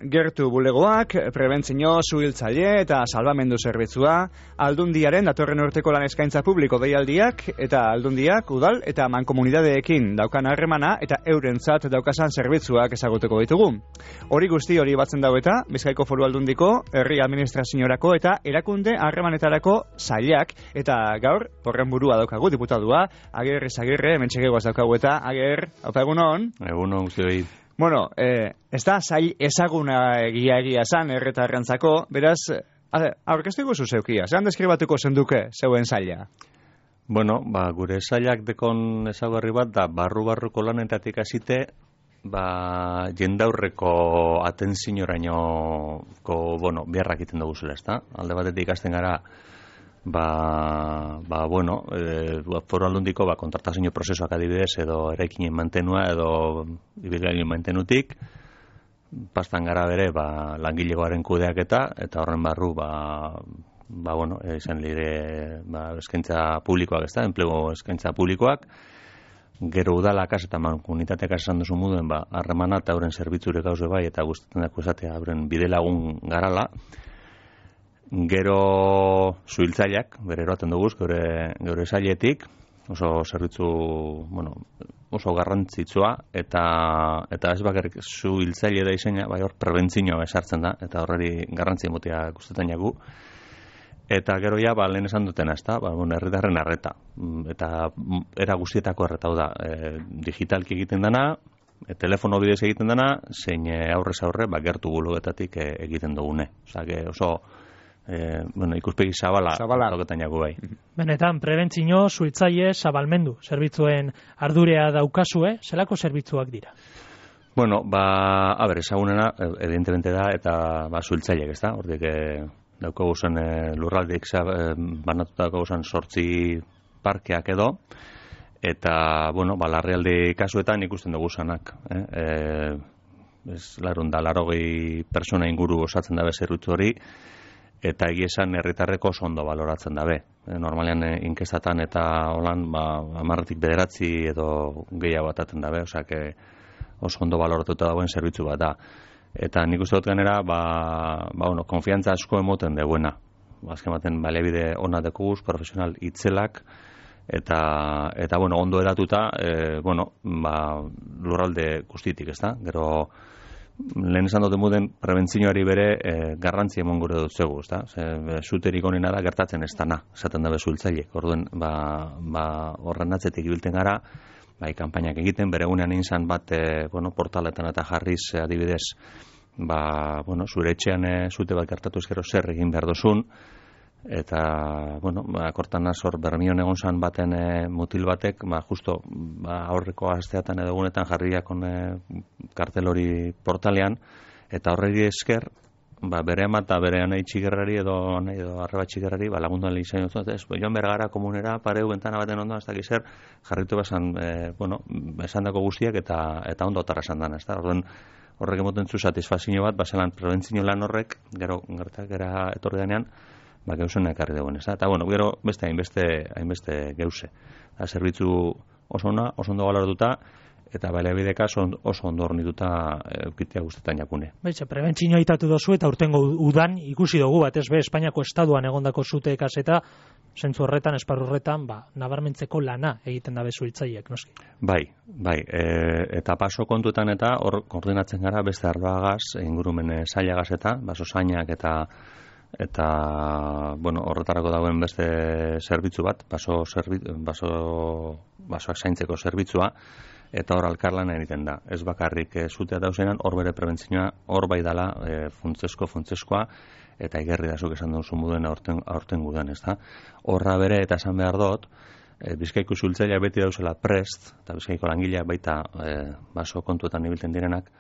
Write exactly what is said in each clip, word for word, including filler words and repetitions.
gertu bulegoak, prebentzio, suhiltzaile eta salbamendu zerbitzua, Aldundiaren datorren urteko lan eskaintza publiko deialdiak eta Aldundiak udal eta mankomunidadeekin daukan harremana eta eurentzat daukasan zerbitzuak ezaguteko ditugu. Hori guzti hori batzen dau eta Bizkaiko Foru Aldundiko herri administraziorako eta erakunde harremanetarako sailak eta gaur horren burua daukagu diputadua Ager Izagirre hementxegegoaz daukagu eta Ager, haupa egunon? Egunon guztioi. Bueno, eh, ez da sail ezaguna egia egia zan erretarrentzako, beraz, aurkeztu guzu zeukia, zelan deskribatuko zenduke zeuen saila? Bueno, ba, gure sailak dekon ezagarri bat da barru-barruko lanetatik hasite, ba, jendaurreko atentziorainoko, bueno, biharrak iten dugu zela, ezta? Alde batetik ikasten gara, ba, ba bueno, e, Foru Aldundiko ba, kontratazio prozesuak adibidez edo eraikinen mantenua edo ibilgailuen mantenutik, pastan gara bere ba, langilegoaren kudeaketa eta horren barru ba, ba bueno, izan lire ba, eskaintza publikoak, ez da, enplegu eskaintza publikoak, gero udalakas eta mankomunitateak esan duzu moduen ba, harremana eta euren zerbitzure gauze bai eta gustatzen dako esatea euren bidelagun garala. Gero suhiltzaileak, bere eroaten dugu, geure, geure sailetik, oso zerbitzu, bueno, oso garrantzitsua, eta eta ez bakarrik suhiltzaile da izena, bai hor prebentzioa esartzen da, eta horreri garrantzi emotea gustatzen jagu. Eta gero ja, ba, lehen esan dutena, ez da, ba, bueno, herritarren arreta, eta era guztietako arreta hau da, e, digitalki egiten dana, e, telefono bidez egiten dana, zein aurrez aurre, ba, gertu bulogetatik e, egiten dugune. Osa, oso, Eh, bueno, ikuspegi zabala toketan jago bai. Benetan, prebentzio, suhiltzaile, zabalmendu, zerbitzuen ardurea daukazue, zelako zerbitzuak dira? Bueno, ba, a ber, ezagunena, evidentemente da, eta ba, suhiltzaileak, ez da? Hortik, eh, daukagu zen eh, lurraldik eh, banatuta daukagu zen sortzi parkeak edo, eta, bueno, ba, larrialdi kasuetan ikusten dugu zanak. Eh? Eh, ez, larun da, larogei persona inguru osatzen dabe zerbitzu hori, eta egia esan herritarreko oso ondo baloratzen dabe. E, normalean e, inkestatan eta holan, ba, hamarretik bederatzi edo gehiago bataten dabe, osea, oso ondo baloratuta dagoen zerbitzu bat da. Eta nik uste dut ganera, ba, ba, bueno, konfiantza asko emoten deguena. Azken baten, baliabide ona dekuguz, profesional itzelak, eta, eta bueno, ondo eratuta, e, bueno, ba, lurralde guztitik, ez da? Gero, lehen esan dute muden prebentzioari bere e, garrantzi emon gure dut zegu, ezta? Zuterik honena da gertatzen ez dana, esaten dabe suhiltzaileek. Orduen, ba, ba, horren atzetik ibilten gara, bai, kanpainak egiten, bere gunean izan bat, e, bueno, portaletan eta jarriz adibidez, ba, bueno, zure etxean e, zute bat gertatu ezkero zer egin behar dozun, eta, bueno, ba, kortan azor bermion egon zan baten e, mutil batek, ba, justo, ba, aurreko asteatan edo egunetan jarriak on e, kartel hori portalean, eta horreri esker, ba, bere ama eta bere anai txigerrari edo anai edo arreba txigerrari, ba, lagunduan lehizain dut, ez, joan bergara komunera, pareu, bentana baten ondoan, ez dakizer, jarritu besan, e, bueno, esan dako guztiak eta, eta ondo otarra esan dana, ez da, orduen, horrek emoten zu satisfazio bat, baselan prebentzio lan horrek, gero gertak era etorri denean, ba, geuzen ekarri dagoen, ez da? Eta, bueno, gero beste hainbeste, hainbeste geuse. Da, zerbitzu oso ona, oso ondo baloratuta, eta baliabideka oso ondo hornituta eukitea guztetan jakune. Baitxe, prebentzioa aitatu dozu eta urtengo udan ikusi dugu bat, ez be, Espainiako estaduan egondako zute kaseta, zentzu horretan, esparru horretan, ba, nabarmentzeko lana egiten dabe suhiltzaileek, noski. Bai, bai, e, eta paso kontuetan eta hor koordinatzen gara beste arloagaz, ingurumen sailagaz eta, baso zainak eta eta, bueno, horretarako dagoen beste zerbitzu bat, baso, zerbitzu, baso, basoak zaintzeko zerbitzua, eta hor alkarlan egiten da. Ez bakarrik e, zutea dauzenan, hor bere prebentzioa, hor bai dala e, funtzesko, funtzeskoa, eta igerri da zuk esan duzu moduen aurten, aurten gudan, ez da. Horra bere, eta esan behar dut, e, Bizkaiko suhiltzailea beti dauzela prest, eta Bizkaiko langileak baita e, baso kontuetan ibilten direnak,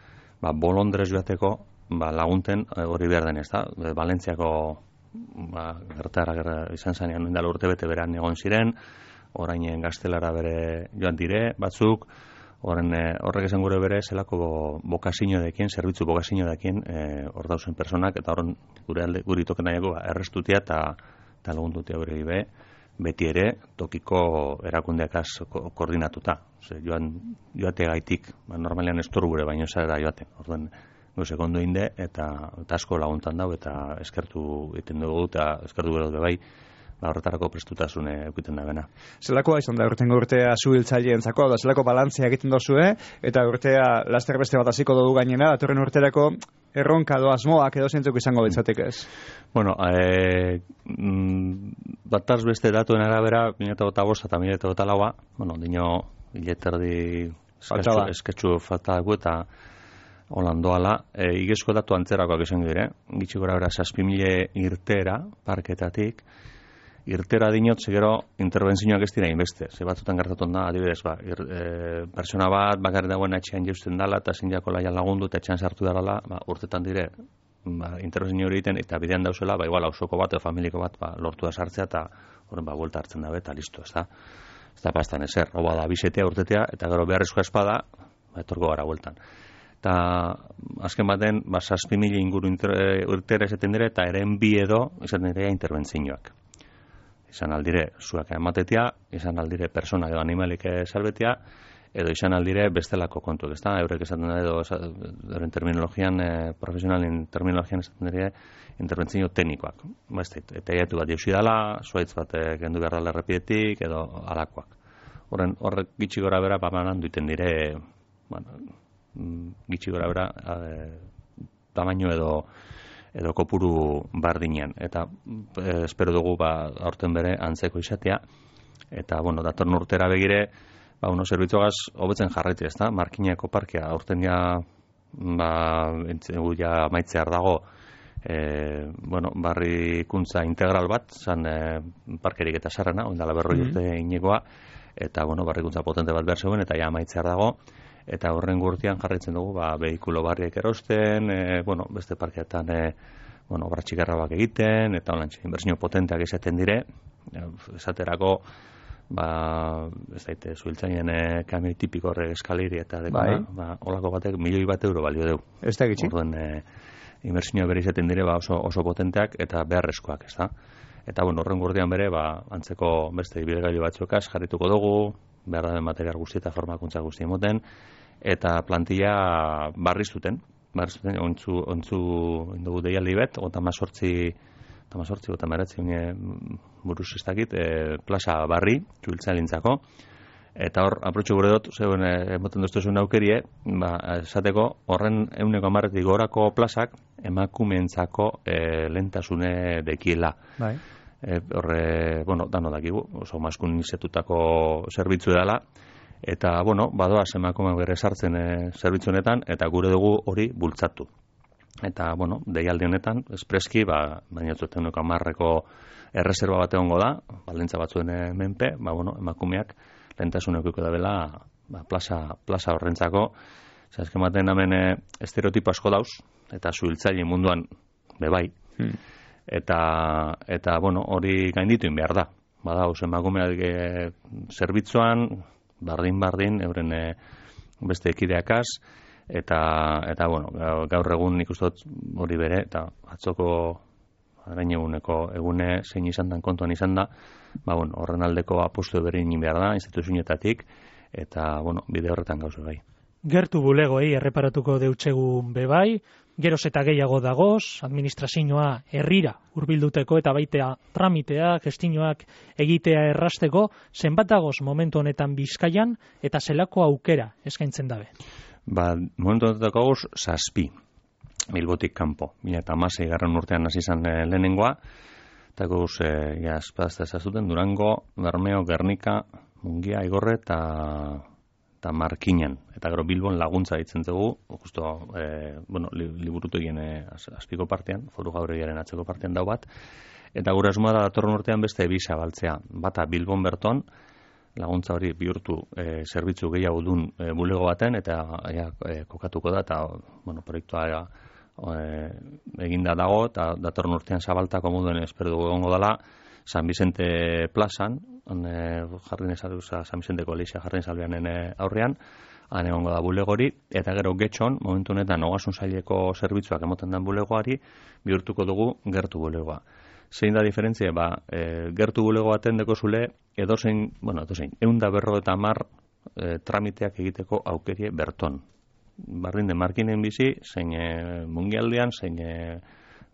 ba, bolondrez joateko, ba, lagunten hori behar den, ez da. E, Valentziako ba, gertara gerra izan zanean, indala urte bete beran egon ziren, orain gaztelara bere joan dire, batzuk, Horren, horrek esan gure bere, zelako bokazio dekien, zerbitzu bokazio dekien, hor dauzen personak, eta horren gure alde, guri token nahiago, errestutia eta lagundutia gure be, beti ere, tokiko erakundeakaz koordinatuta. Ose, joan, joate gaitik, ba, normalean ez toru gure baino zara joaten. Orduan, goze kondo inde, eta, eta asko laguntan dau, eta eskertu egiten dugu, eta eskertu gero bai, ba, horretarako prestutasune eukiten da bena. Zelakoa izan da urtengo urtea suhiltzaileentzako, da zelako balantzia egiten dozue, eta urtea laster beste bat hasiko dugu gainera, datorren urterako erronka do asmoak edo zentzuk izango bitzatik ez? Bueno, e, bataz beste datuen arabera, mila eta bost eta mila eta laua, bueno, dino hileterdi esketxu falta dugu eta holandoala, e, igezko datu antzerakoak izango dire, gitxi gora bera zazpi mila irtera, parketatik, irtera dinot, zegero intervenzioak ez dira inbeste. Ze batzutan gertatun da, adibidez, ba, ir, e, persona bat, bakarri dagoen etxean jausten dala, eta zindiako laia lagundu, eta etxean sartu darala, ba, urtetan dire, ba, intervenzio hori egiten, eta bidean dauzela, ba, igual, hausoko bat, edo familiko bat, ba, lortu da sartzea, eta horren, ba, buelta hartzen dabe, eta listo, ez da. Ez da pastan ezer, roba da, bisetea, urtetea, eta gero beharrezkoa espada, ba, etorko gara bueltan. Eta azken baten, ba, zazpi mila inguru urtera esaten dire, eta eren bi edo, esaten dire, intervenzioak. Izan aldire zuak ematetia, izan aldire persona edo animalik salbetia, edo izan aldire bestelako kontuak, ezta? Eurek esaten da edo, euren terminologian, eh, profesionalin terminologian esaten dire, interbentzio teknikoak. Ba, eta jaitu bat jauzi dela, zuaitz bat gendu behar dela errepidetik, edo alakoak. Horren, horrek gitxi gora bera, bamanan duiten dire, bueno, gitxi gora bera, eh, tamaino edo, edo kopuru bardinean. Eta eh, espero dugu ba, aurten bere antzeko izatea. Eta, bueno, datorn urtera begire, ba, uno zerbitzuagaz hobetzen jarraitu, ez da? Markinako parkea, aurten ja, ba, entzegu ja maitzear dago, e, bueno, barrikuntza integral bat, zan e, parkerik eta sarrana, ondala berroi mm-hmm. urte inekoa, eta, bueno, barrikuntza potente bat behar zegoen, eta ja maitzear dago, eta horren gurtian jarraitzen dugu, ba, behikulo barriek erosten, e, bueno, beste parkeetan, e, bueno, obra txikarra bak egiten, eta holantxe, inbertsio potenteak izaten dire, esaterako, ba, ez daite, zuhiltzainen e, kamioi tipiko horrek eskaliri, eta dekona, bai. Ba, olako batek milioi bat euro balio deu. Ez da gitxi? Orduen, e, inbertsio bere izaten dire, ba, oso, oso potenteak, eta beharrezkoak, ez da? Eta, bueno, horren gurtian bere, ba, antzeko beste ibilgailu batzuekaz jarrituko dugu, behar da material guzti eta formakuntza guzti emoten, eta plantilla barriztuten, barriztuten, ontzu, ontzu indugu deialdi bet, gota mazortzi, eta mazortzi, gota meratzi, buruz ez dakit, e, plaza barri, txuiltzalintzako, eta hor, aprotxo gure dut, zeuen, emoten duztuzun aukerie, ba, esateko, horren euneko amarretik gorako plazak, emakumeentzako e, lentasune dekiela. Bai. E, horre, bueno, dano dakigu, oso maskulinizetutako zerbitzu dela, eta, bueno, badoaz emakumeak bere sartzen e, zerbitzu honetan, eta gure dugu hori bultzatu. Eta, bueno, deialdi honetan, espreski, ba, baina zuten nuko amarreko erreserba bat egongo da, baldintza batzuen e, menpe, ba, bueno, emakumeak lehentasuneko da bela, ba, plaza, plaza horrentzako, zazken baten hemen e, estereotipo asko dauz, eta zuhiltzaile munduan bebai, hmm. Eta, eta bueno, hori gaindituin behar da. Bada, oso emakumeak e, zerbitzuan, bardin-bardin, euren e, beste ekideakaz, eta, eta bueno, gaur egun nik uste dut hori bere, eta atzoko arain eguneko egune zein izan dan kontuan izan da, ba, bueno, horren aldeko apostu berin behar da, instituzioetatik, eta, bueno, bide horretan gauze gai. Gertu bulegoei erreparatuko deutsegun bebai, geroz eta gehiago dagoz, administrazioa herrira hurbilduteko eta baitea tramitea, gestinoak egitea errasteko, zenbat dagoz momentu honetan Bizkaian eta zelako aukera eskaintzen dabe? Ba, momentu honetan dagoz, zazpi, Bilbotik kanpo. Mila eta hamasei garren urtean hasi izan e, lehenengoa, eta gauz, e, ja, espadazta ezazuten, Durango, Bermeo, Gernika, Mungia, Igorre eta eta Markinan, eta gero Bilbon laguntza ditzen dugu, justo, e, bueno, li, liburutu egin e, azpiko partean, foru gaurriaren atzeko partean dau bat, eta gure asmoa da datorren urtean beste bi zabaltzea, bata Bilbon berton, laguntza hori bihurtu e, zerbitzu gehiago dun e, bulego baten, eta ja, e, kokatuko da, eta, bueno, proiektua e, eginda dago, eta datorren urtean zabaltako moduen espero dugu egongo dela, San Vicente plazan, jarrin ezaduza San Vicenteko Elisa jarrin salbeanen aurrean, han egongo da bulegori, eta gero getxon, momentu honetan ogasun saileko zerbitzuak emoten den bulegoari, bihurtuko dugu gertu bulegoa. Zein da diferentzia, ba, e, gertu bulego baten deko zule, edozein, bueno, edozein, eunda berro eta mar e, tramiteak egiteko aukerie berton. bardin de Markinen bizi, zein e, Mungialdean, zein e,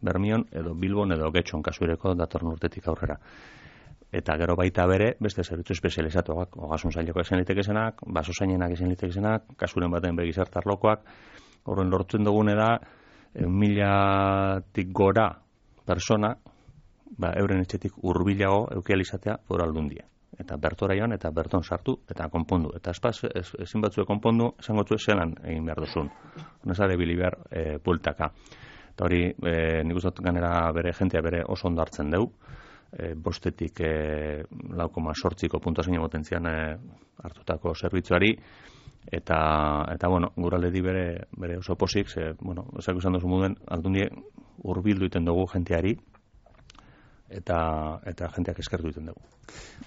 Bermion, edo Bilbon, edo Getxon kasureko datorren urtetik aurrera. Eta gero baita bere, beste zerbitzu espezializatuak, ogasun zaileko esan litekezenak, baso zainenak esan litekezenak, kasuren baten begizartarlokoak, horren lortzen dugune da, milatik gora persona, ba, euren etxetik hurbilago eukializatea foru aldundia. Eta bertora joan, eta berton sartu, eta konpondu. Eta espaz, ez, ezin batzue konpondu, esango zuen zelan egin behar duzun. Honezare bili behar e, pultaka. Eta hori, e, nik uste ganera bere jentea bere oso ondo hartzen dugu. E, bostetik e, lau koma sortziko puntuazio potentzian e, hartutako zerbitzuari. Eta, eta bueno, guraledi bere, bere oso posik, ze, bueno, ezak izan duzu muden, aldundie hurbildu iten dugu jenteari, eta eta jenteak eskertu egiten dugu.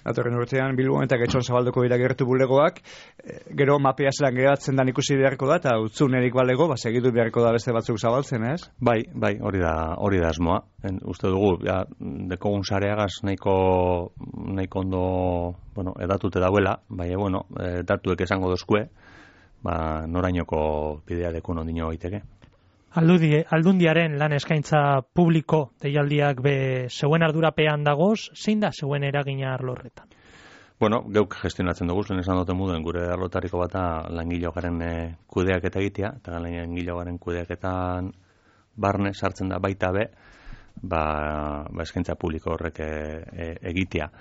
Datorren urtean Bilbon eta Getxon zabalduko dira gertu bulegoak, e, gero mapea zelan geratzen da ikusi beharko da, eta utzunerik balego, ba, segitu beharko da beste batzuk zabaltzen, ez? Bai, bai, hori da, hori da asmoa. En, uste dugu, ja, dekogun sareagaz nahiko, nahiko ondo, bueno, edatute dauela, bai, bueno, e, datuek esango dozkue, ba, norainoko bidea dekun ondino baiteke. Aldudi, aldundiaren lan eskaintza publiko deialdiak be zeuen ardurapean dagoz, zein da zeuen eragina arlo horretan? Bueno, geuk gestionatzen dugu, zuen esan duten muden, gure arlotariko bata langilo garen e, kudeak eta egitea, eta langilo garen kudeaketan barne sartzen da baita be, ba, ba eskaintza publiko horrek e, e, egitea.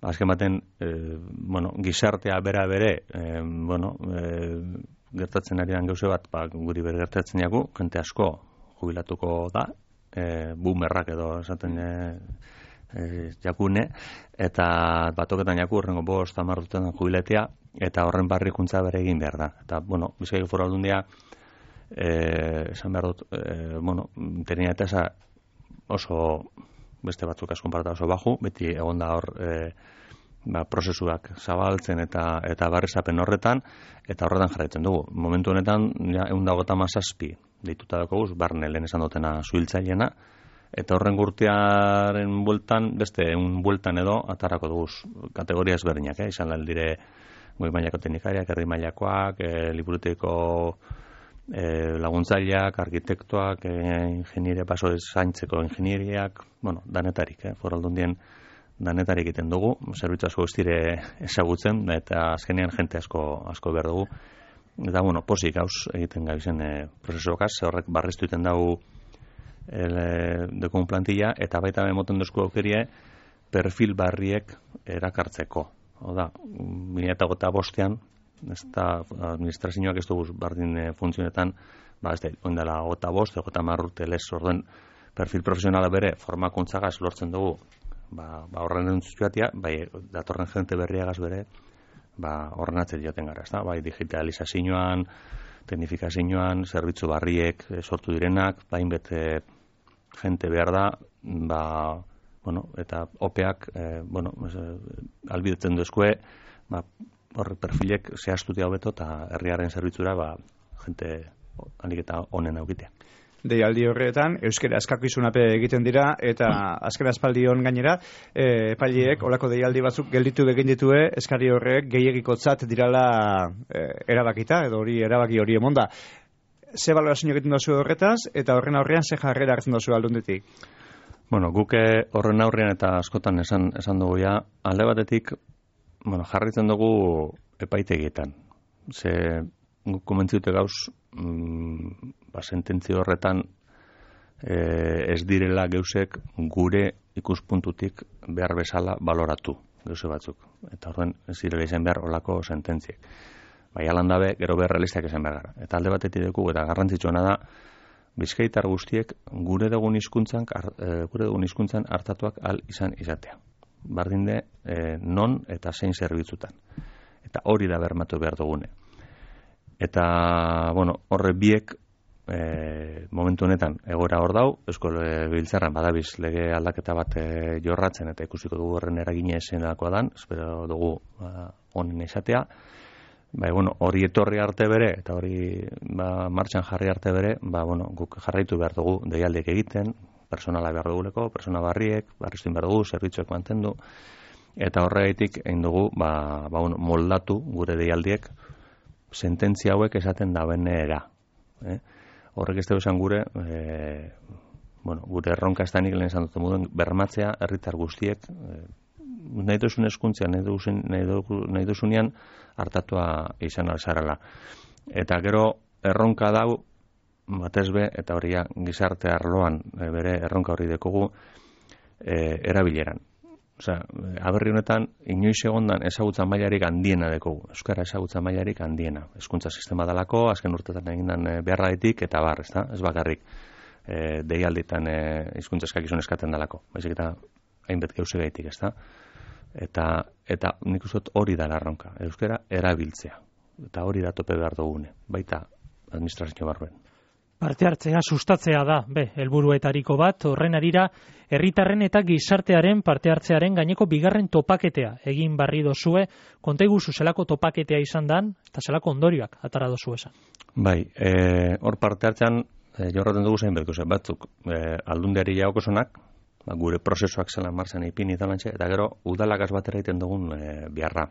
Azken baten, e, bueno, gizartea bera bere, e, bueno, e, gertatzen ari dan gauze bat, ba, guri ber gertatzen jagu, jente asko jubilatuko da, e, boomerrak edo esaten e, e, jakune, eta batoketan jaku horrengo bost amarrutetan jubiletea, eta horren barrikuntza bere egin behar da. Eta, bueno, Bizkaiko Foru Aldundia, e, esan behar dut, e, bueno, terina eta esa oso, beste batzuk asko konparata oso baju, beti egon da hor, e, ba, prozesuak zabaltzen eta eta barrezapen horretan, eta horretan jarraitzen dugu. Momentu honetan, ja, ehun eta hogeita hamazazpi deituta daukaguz, barne lehen esan dutena zuhiltzaileena, eta horren gurtiaren bueltan, beste ehun bueltan edo, atarako dugu kategoria ezberdinak, eh? Izan dire goi mailako teknikariak, herri mailakoak, e, liburuteko e, laguntzaileak, arkitektoak, e, ingeniere, paso zaintzeko ingenieriak, bueno, danetarik, eh? Foru Aldundien danetarik egiten dugu, zerbitzu asko guztire ezagutzen, eta azkenean jente asko asko behar dugu. Eta, bueno, posik hauz egiten gabizen e, prozesuokaz, ze horrek barreztu egiten dugu e, dekun plantilla, eta baita emoten duzko aukerie perfil barriek erakartzeko. Oda, mila eta gota bostean, ez da administrazioak ez dugu bardin e, funtzionetan, ba, ez da, oindala gota bost, gota marrute lez, orduen perfil profesionala bere formakuntzagaz lortzen dugu, ba, ba horren entzuatia, bai datorren jente berriagaz bere, ba horren atzet joten gara, ezta? Bai digitalizazioan, teknifikazioan, zerbitzu barriek e, sortu direnak, bain bete jente behar da, ba, bueno, eta opeak, e, bueno, e, albidetzen duzkue, ba, horre perfilek zehaztutia hobeto eta herriaren zerbitzura, ba, jente alik eta honen aukitea. Deialdi horretan, euskera eskakizunape egiten dira, eta azken aspaldion gainera, e, epailiek, olako deialdi batzuk gelditu egin ditue, eskari horrek gehiagikotzat dirala e, erabakita, edo hori erabaki hori emonda. Ze balorazio egiten dozu horretaz, eta horren aurrean ze jarrera hartzen dozu aldundetik? Bueno, guke horren aurrean eta askotan esan, esan dugu ja, alde batetik, bueno, jarritzen dugu epaitegietan. Ze guk komentziute gauz, mm, ba, sententzio horretan e, ez direla geusek gure ikuspuntutik behar bezala baloratu geuse batzuk. Eta horren ez direla izan behar olako sententziek. Bai, alan dabe, gero behar realistak izan behar gara. Eta alde batetik dugu, eta garrantzitsuena da, bizkaitar guztiek gure dugun hizkuntzan e, gure dugun hizkuntzan hartatuak al izan izatea. Bardinde e, non eta zein zerbitzutan. Eta hori da bermatu behar dugune. Eta, bueno, horre biek e, momentu honetan egoera hor dau, Eusko Legebiltzarran badabiz lege aldaketa bat e, jorratzen, eta ikusiko dugu horren eragine esenelakoa dan, espero dugu ba, honen izatea. Ba, bueno, hori etorri arte bere, eta hori ba, martxan jarri arte bere, ba, bueno, guk jarraitu behar dugu deialdiek egiten, personala behar duguleko, persona barriek, barriztuin behar dugu, zerbitzuek mantendu, eta horregatik egin dugu ba, ba, bueno, moldatu gure deialdiek sententzia hauek esaten dabenera. Eh? Horrek ez esan gure, e, bueno, gure erronka ez da nik lehen esan dut moduen, bermatzea herritar guztiek, e, nahi duzun eskuntzia, nahi, duzun, nahi duzunean hartatua izan alzarala. Eta gero erronka dau, batez be, eta hori gizarte arloan e, bere erronka hori dekogu, e, erabileran. Osea, aberri honetan, inoiz egondan ezagutza mailarik handiena dekogu. Euskara ezagutza mailarik handiena. Hezkuntza sistema dalako, azken urtetan egindan e, beharraitik, eta bar, ez da? Ez bakarrik e, deialditan e, hizkuntza eskakizun eskaten dalako. Baizik eta hainbet gauze gaitik, ez da? Eta, eta nik uste dut hori da larronka. Euskara erabiltzea. Eta hori da tope behar dugune. Baita administrazio barruen. Parte hartzea sustatzea da, be, helburuetariko bat, horren arira, herritarren eta gizartearen parte hartzearen gaineko bigarren topaketea egin barri dozue, konta iguzu zelako topaketea izan dan, eta zelako ondorioak atara dozu esan. Bai, e, hor parte hartzean, e, jorraten dugu zein betko zen, batzuk, e, aldundeari jaokosonak, ba, gure prozesuak zelan marzen ipini talantxe, eta gero udalakaz batera egiten dugun e, biharra.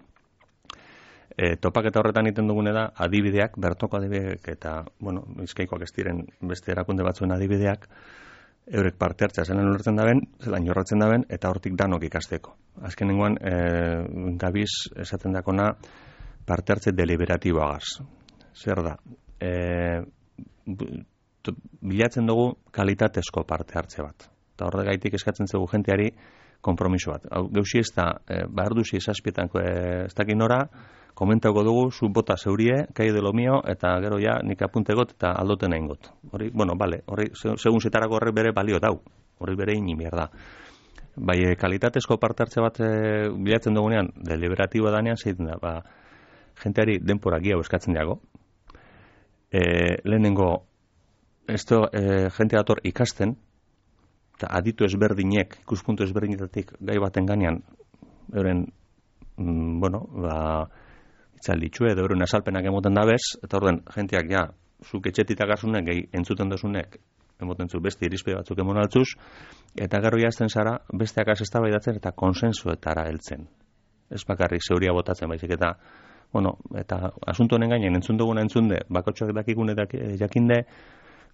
E, topaketa horretan egiten dugune da adibideak, bertoko adibideak eta, bueno, bizkaikoak ez diren beste erakunde batzuen adibideak, eurek parte hartzea zelan ulertzen daben, zelan jorratzen daben, eta hortik danok ikasteko. Azkenengoan, e, gabiz esaten dakona parte hartze deliberatiboagaz. Zer da? E, bilatzen dugu kalitatezko parte hartze bat. Eta horregaitik eskatzen zegu jenteari konpromiso bat. Hau, geusi ez da, e, behar duzi esazpietanko e, ez dakin nora, komentauko dugu, zu bota zeurie, kai de lo mio, eta gero ja nik apuntegot eta aldoten egin got. Hori, bueno, bale, hori, segun zetarako horrek bere balio dau. Hori bere ini da. Bai, e, kalitatezko parte hartze bat e, bilatzen dugunean, deliberatiboa danean, zeiten da, ba, jenteari denpora gehiago eskatzen dago. E, lehenengo, esto, e, jente dator ikasten, eta aditu ezberdinek, ikuspuntu ezberdinetatik gai baten ganean, euren, mm, bueno, ba, itzalditxue, edo euren asalpenak emoten dabez, eta orden, jenteak, ja, zuk etxetitak azunek, gehi entzuten dozunek, emoten zu beste irizpe batzuk emon altzuz, eta gero jazten zara, besteak azeztabaidatzen eta konsensuetara heltzen. Ez bakarrik zeuria botatzen, baizik eta, bueno, eta asunto honen gainen entzun duguna entzunde, bakotxoak dakikune jakinde,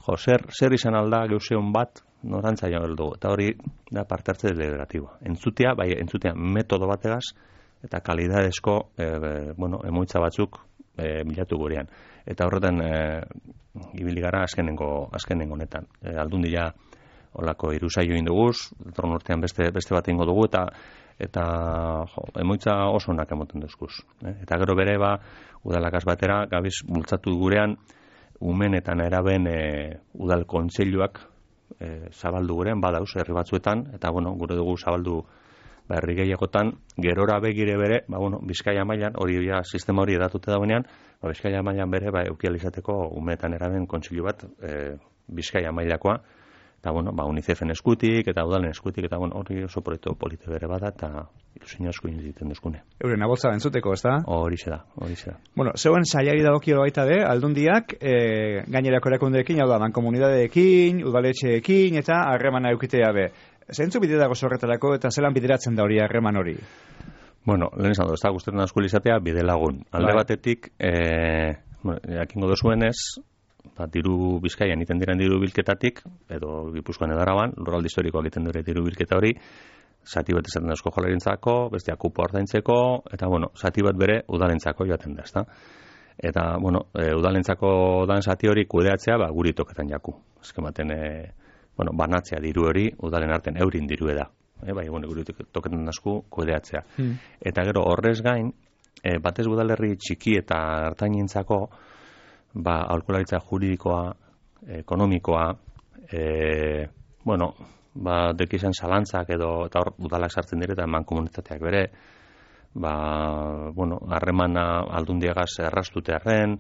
jo, zer, zer izan alda geuseon bat, norantza jo dugu. Eta hori da parte hartze deliberatiboa. Entzutea, bai, entzutea metodo bategaz, eta kalidadezko, e, e, bueno, emoitza batzuk e, bilatu gurean. Eta horretan, e, ibili gara azkenengo, azkenengo honetan. E, aldundia olako iruzaio induguz, datorren urtean beste, beste bat ingo dugu, eta eta jo, emoitza oso onak emoten duzkuz. E, eta gero bere, ba, udalakaz batera, gabiz bultzatu gurean, umenetan eraben e, udal kontseiluak e, zabaldu gurean, badauz, herri batzuetan, eta, bueno, gure dugu zabaldu ba, herri gehiagotan, gerora begire bere, ba, bueno, Bizkaia mailan, hori ja, sistema hori edatute dauenean, ba, Bizkaia mailan bere, ba, eukializateko umenetan eraben kontseilu bat, e, Bizkaia mailakoa, eta, bueno, ba, UNICEFen eskutik, eta udalen eskutik, eta, bueno, hori oso proiektu polite bere bada, eta ilusio asko egiten duzkune. Euren aboltza bentzuteko, ez da? Hori da, hori da. Bueno, zeuen sailari dagokio baita de, aldundiak, e, gainerako erakundeekin, hau da, mankomunidadeekin, udaletxeekin, eta harremana eukitea be. Zeintzu bide dago zorretarako, eta zelan bideratzen da hori harreman hori? Bueno, lehen esan du, ez da guztetan asko izatea, bide lagun. Alde batetik, e, bueno, jakingo dozuenez, ba, diru Bizkaian iten diren diru bilketatik, edo Gipuzkoan edo Araban, lurralde historikoak iten dure diru bilketa hori, zati bat esaten da Eusko Jaurlaritzako, bestea kupo ordaintzeko, eta, bueno, zati bat bere udalentzako joaten da, ezta? Eta, bueno, e, udalentzako dan zati hori kudeatzea, ba, guri toketan jaku. Ezken baten, e, bueno, banatzea diru hori, udalen arten eurin diru da. E, bai, bueno, guri toketan dasku kudeatzea. Hmm. Eta gero, horrez gain, e, batez udalerri txiki eta hartainentzako, ba, aholkularitza juridikoa, ekonomikoa, e, bueno, ba, dekizan zalantzak edo, eta hor, udalak sartzen dire, eta eman komunitateak bere, ba, bueno, harremana aldundiagaz errastutearen,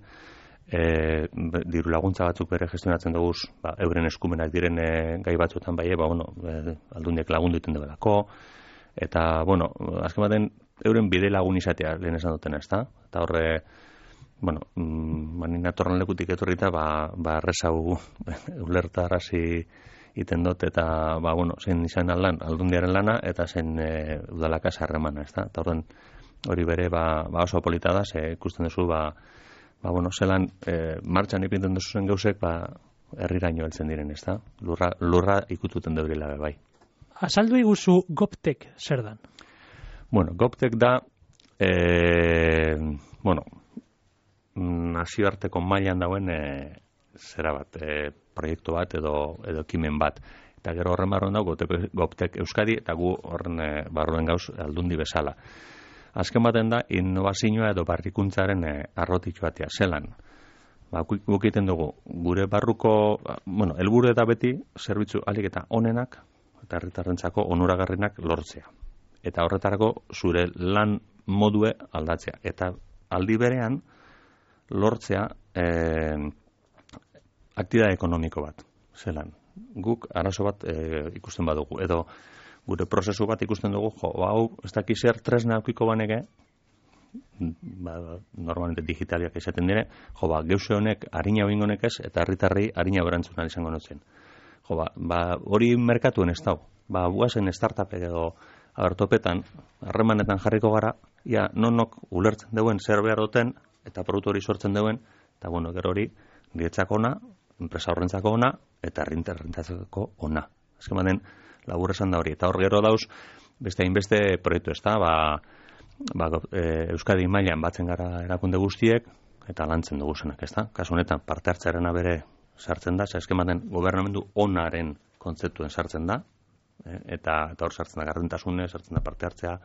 e, diru laguntza batzuk bere gestionatzen dugu, ba, euren eskumenak diren e, gai batzuetan bai, ba, bueno, e, aldundiak lagundu iten debelako, eta, bueno, azken baten, euren bide lagun izatea lehen esan dutena, ez da? Eta horre, bueno, manin atorren lekutik etorrita, ba, ba errezau ulertarazi iten dut, eta, ba, bueno, zein izan aldan, aldundiaren lana, eta zein e, udalakaz harremana, ez da? Eta horren, hori bere, ba, ba oso polita da, ze ikusten duzu, ba, ba, bueno, zelan, e, martxan ipinten duzuzen gauzek, ba, herriraino heltzen diren, ez da? Lurra, lurra ikututen deurila, bai. Azaldu iguzu Goptek zer dan? Bueno, Goptek da, e, bueno, nazioarteko mailan dauen e, zera bat, e, proiektu bat edo, edo ekimen bat. Eta gero horren barruen dago Goptek Euskadi, eta gu horren e, barruen gauz aldundi bezala. Azken baten da, innovazioa edo barrikuntzaren e, arrotitu batea, zelan. Ba, guk egiten dugu, gure barruko, bueno, helburu eta beti, zerbitzu alik eta onenak, eta herritarrentzako onuragarrenak lortzea. Eta horretarako zure lan modue aldatzea. Eta aldi berean, lortzea eh, aktibitate ekonomiko bat, zelan. Guk arazo bat eh, ikusten badugu, edo gure prozesu bat ikusten dugu, jo, hau, ez dakiz zer tresna aukiko baneke, ba, normalmente digitaliak izaten dire, jo, ba, geuse honek harina hoingo honek ez, eta herritarrei harina berantzuna izango notzen. Jo, ba, ba, hori merkatuen ez dau. Ba, guazen startup edo abertopetan, harremanetan jarriko gara, ia, nonok ulertzen deuen zer behar duten, eta produktu hori sortzen deuen, eta bueno, gero hori, niretzako ona, enpresa horrentzako ona, eta herritarrentzako ona. Azken baten, labur esan da hori. Eta hor gero dauz, beste hainbeste proiektu ez da, ba, ba, e, Euskadi mailan batzen gara erakunde guztiek, eta lantzen dugu zenak, ez da? Kasu honetan, parte hartzearena bere sartzen da, azken baten, gobernamendu onaren kontzeptuen sartzen da, e, eta, eta hor sartzen da gardentasune, sartzen da parte hartzea,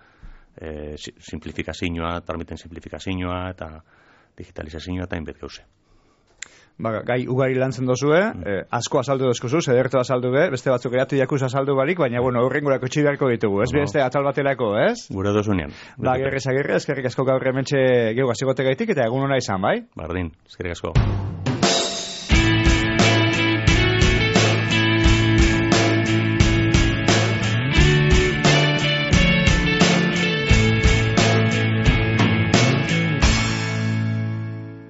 e, simplifikazioa, tramiten simplifikazioa, eta digitalizazioa, eta hainbet gauze. Ba, gai ugari lantzen dozue, mm. eh, asko azaldu dozkuzu, zederto azaldu be, beste batzuk eratu jakuz azaldu barik, baina, bueno, horrengurako txibiarko ditugu, ez? No. Beste atal baterako, ez? Gure dozunean. Ba, gerrez agirre, eskerrik asko gaur hementxe gehu gazigote gaitik, eta egun hona izan, bai? Bardin, eskerrik asko.